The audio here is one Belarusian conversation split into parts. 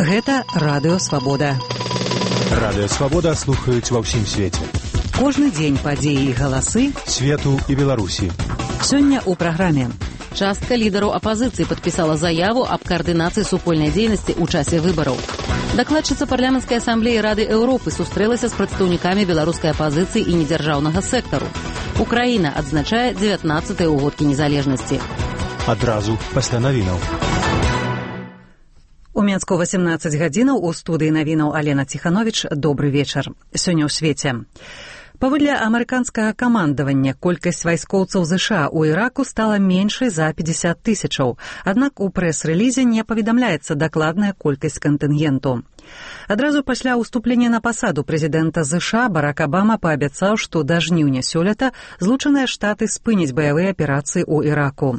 Гэта Радыё Свабода. Радыё Свабода слухаюць ва ўсім свеце. Кожны дзень падзеі і галасы свету і Беларусі. Сёння ў праграме. Частка лідараў апазіцыі падпісала заяву аб каардынацыі супольнай дзейнасці ў часе выбараў. Дакладчыца парламенцкай асамблеі Рады Еўропы сустрэлася з прадстаўнікамі беларускай апазіцыі і недзяржаўнага сектару. Украіна адзначае 19-й угодкі незалежнасці. Адразу пасля навінаў. У Мінску 18 гадзінаў у студыі навінаў Алена Ціхановіч. Добры вечар. Сёння ў свеце. Паводле амерыканскага камандавання, колькасць вайскоўцаў ЗША ў Іраку стала меншай за 50 тысячаў. Аднак у прэс-рэлізе не паведамляецца дакладная колькасць кантынгенту. Адразу пасля ўступлення на пасаду прэзідэнта ЗША Барак Абама паабяцаў, што да жніўня сёлета Злучаныя Штаты спыняць баявыя аперацыі ў Іраку.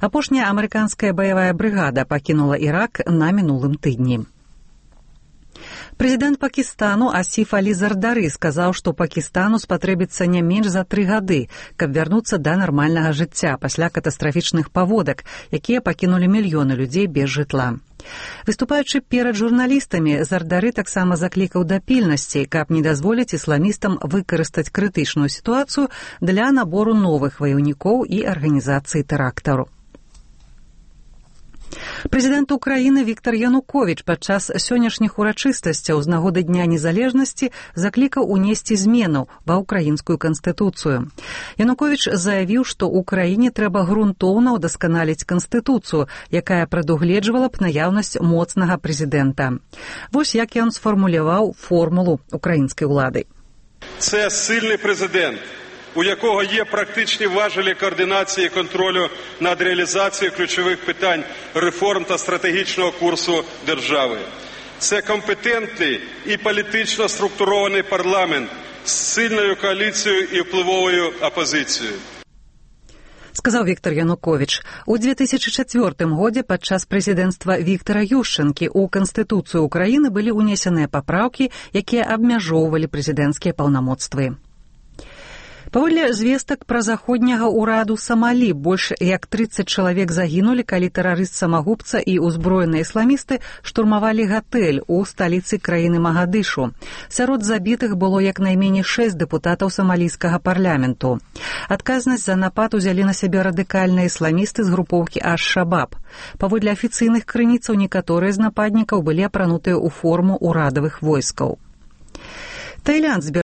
Апошняя амерыканская баявая брыгада пакінула Ірак на мінулым тыдні. Прэзідэнт Пакістану Асіф Алі Зардары сказаў, што Пакістану спатрэбіцца не менш за 3 гады, каб вярнуцца да нармальнага жыцця пасля катастрафічных паводак, якія пакінулі мільёны людзей без жытла. Выступаючы перад журналістамі, Зардары таксама заклікаў да пільнасці, каб не дазволіць ісламістам выкарыстаць крытычную сітуацыю для набору новых ваяўнікоў і арганізацыі тэрактару. Прэзідэнт Украіны Віктар Януковіч падчас сённяшніх урачыстасцяў з нагоды Дня незалежнасці заклікаў унесці зменаў ва ўкраінскую канстытуцыю. Януковіч заявіў, што ўкраіне трэба грунтоўна ўдасканаліць канстытуцыю, якая прадугледжвала б наяўнасць моцнага прэзідэнта. Вось як ён сфармуляваў формулу украінскай улады. Це сильний президент, у якого є практичні важелі координації і контролю над реалізацією ключових питань реформ та стратегічного курсу держави. Це компетентний і політично структурований парламент з сильною коаліцією і впливовою опозицією. Сказаў Віктар Януковіч. У 2004 годзе падчас прэзідэнцтва Віктара Ющэнкі ў Канстытуцыю Украіны былі ўнесеныя папраўкі, якія абмяжоўвалі прэзідэнцкія паўнамоцтвы. Паводле звестак пра заходняга ўраду Самалі, больш як 30 чалавек загінулі, калі тэрарыст-самагубца і ўзброеныя ісламісты штурмавалі гатэль у сталіцы краіны Магадышу. Сярод забітых было як найменей 6 дэпутатаў самалійскага парламенту. Адказнасць за напад узялі на сябе радыкальныя ісламісты з групоўкі Аш-Шабаб. Паводле афіцыйных крыніцаў некаторыя з нападнікаў былі апранутыя ў форму ўрадавых войскаў. Таіланд